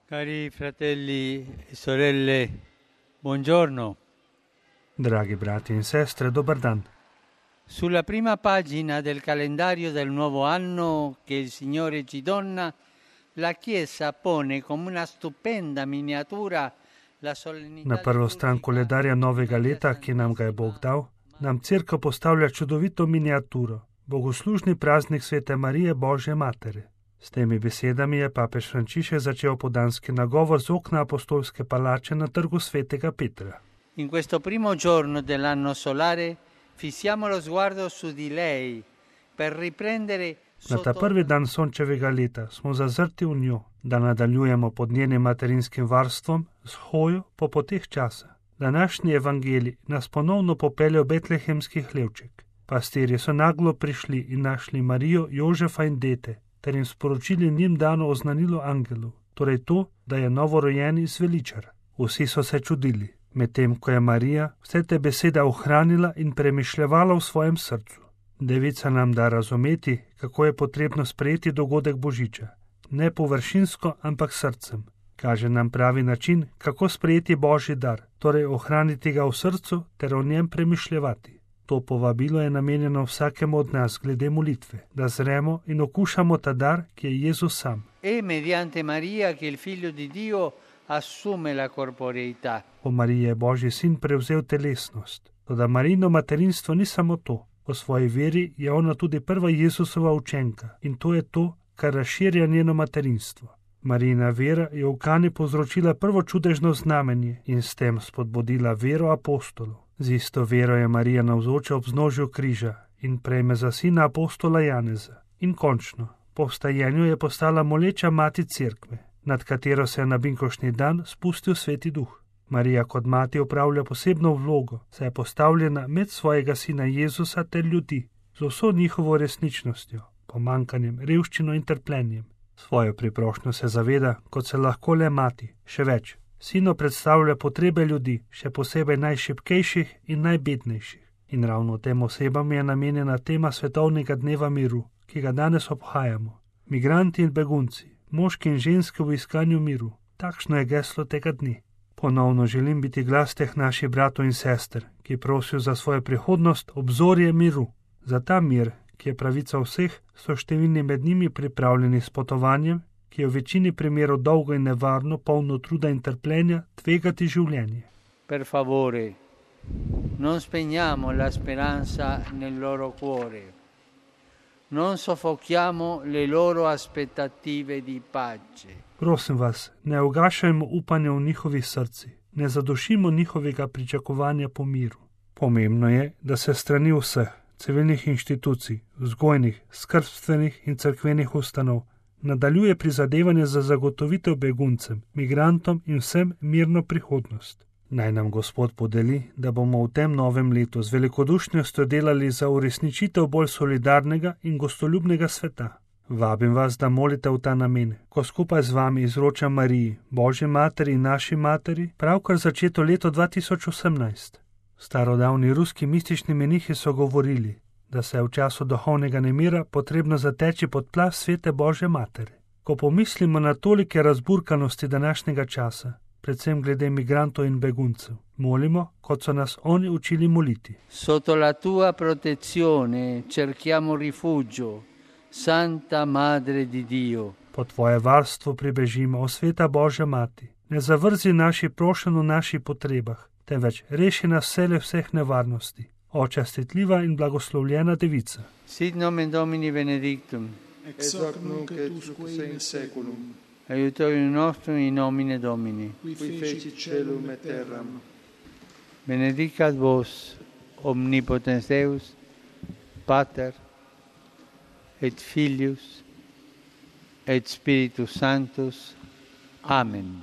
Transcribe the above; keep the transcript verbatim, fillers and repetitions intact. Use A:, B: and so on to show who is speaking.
A: Cari fratelli e sorelle, buongiorno.
B: Dragi brati in sestre, dobar dan.
A: Sulla prima pagina del calendario del nuovo anno che il Signore ci dona, la Chiesa pone come una stupenda miniatura la solennità.
B: Na prvo stran koledarja novega leta, ki nam ga je Bog dal, nam Cerkev postavlja čudovito miniaturo, bogoslužni praznik Svete Marije Božje Matere. S temi besedami je papež Frančišek začel podanski nagovor z okna apostolske palače na trgu Svetega Petra.
A: In questo primo giorno dell'anno solare fissiamo lo sguardo su di lei per riprendere.
B: Na ta prvi dan sončevega leta smo zazrti v njo, da nadaljujemo pod njenim materinskim varstvom z hojo po poteh časa. Današnji evangelij nas ponovno popelje v betlehemski hlevček. Pastirji so naglo prišli in našli Marijo, Jožefa in dete, ter jim sporočili njim dano oznanilo angelu, torej to, da je novorojeni zveličar. Vsi so se čudili, medtem ko je Marija vse te besede ohranila in premišljevala v svojem srcu. Devica nam da razumeti, kako je potrebno sprejeti dogodek Božiča. Ne površinsko, ampak srcem. Kaže nam pravi način, kako sprejeti Božji dar, torej ohraniti ga v srcu ter o njem premišljevati. To povabilo je namenjeno vsakemu od nas glede molitve, da zremo in okušamo ta dar, ki je Jezus sam.
A: E mediante Maria che il figlio di Dio assume la corporeità.
B: Po Mariji je Božji sin prevzel telesnost. Toda Marijino materinstvo ni samo to. Po svoji veri je ona tudi prva Jezusova učenka in to je to, kar razširja njeno materinstvo. Marijina vera je v Kani povzročila prvo čudežno znamenje in s tem spodbudila vero apostolov. Z isto vero je Marija navzoča ob vznožju križa in prejme za sina apostola Janeza. In končno, po vstajenju je postala moleča mati Cerkve, nad katero se je na binkoštni dan spustil Sveti Duh. Marija kot mati opravlja posebno vlogo, saj je postavljena med svojega sina Jezusa ter ljudi, z vso njihovo resničnostjo, pomankanjem, revščino in trpljenjem. Svojo priprošnjo se zaveda, kot se lahko le mati, še več. Sino predstavlja potrebe ljudi, še posebej najšibkejših in najbednejših. In ravno tem osebam je namenjena tema svetovnega dneva miru, ki ga danes obhajamo. Migranti in begunci, moški in ženske v iskanju miru. Takšno je geslo tega dne. Ponovno želim biti glas teh naših bratov in sester, ki prosijo za svojo prihodnost obzorje miru. Za ta mir, ki je pravica vseh, so številni med njimi pripravljeni s potovanjem, ki je v večini primerov dolgo in nevarno, polno truda in trpljenja, tvegati življenje.
A: Per favore, non spegniamo la speranza nel loro cuore. Non soffochiamo le loro aspettative di pace.
B: Prosim vas, ne ugašajmo upanja v njihovih srcih, ne zadošimo njihovega pričakovanja po miru. Pomembno je, da se strani vseh civilnih inštitucij, vzgojnih, skrbstvenih in cerkvenih ustanov nadaljuje prizadevanje za zagotovitev beguncem, migrantom in vsem mirno prihodnost. Naj nam Gospod podeli, da bomo v tem novem letu z velikodušnostjo delali za uresničitev bolj solidarnega in gostoljubnega sveta. Vabim vas, da molite v ta namen, ko skupaj z vami izročam Mariji, Božji materi in naši materi, pravkar začeto leto dva tisoč osemnajst. Starodavni ruski mistični menihi so govorili, da se je v času duhovnega nemira potrebno zateči pod plaz Svete Božje matere. Ko pomislimo na tolike razburkanosti današnjega časa, predvsem glede migrantov in beguncev, molimo, kot so nas oni učili moliti.
A: Sotto la tua protezione cerchiamo rifugio, Santa Madre di Dio.
B: Po tvoje varstvo pribežimo, o Sveta Božja mati. Ne zavrzi naši prošenj v naših potrebah, temveč reši nas vsele vseh nevarnosti. O častitljiva in blagoslovljena devica.
A: Sit nomen Domini benedictum.
C: Ex hoc nunc et usque in seculum.
A: Aiutorium nostrum in nomine Domini.
C: Qui fecit celum et terram.
A: Benedicat vos, omnipotens Deus, Pater, et Filius, et Spiritus Sanctus. Amen.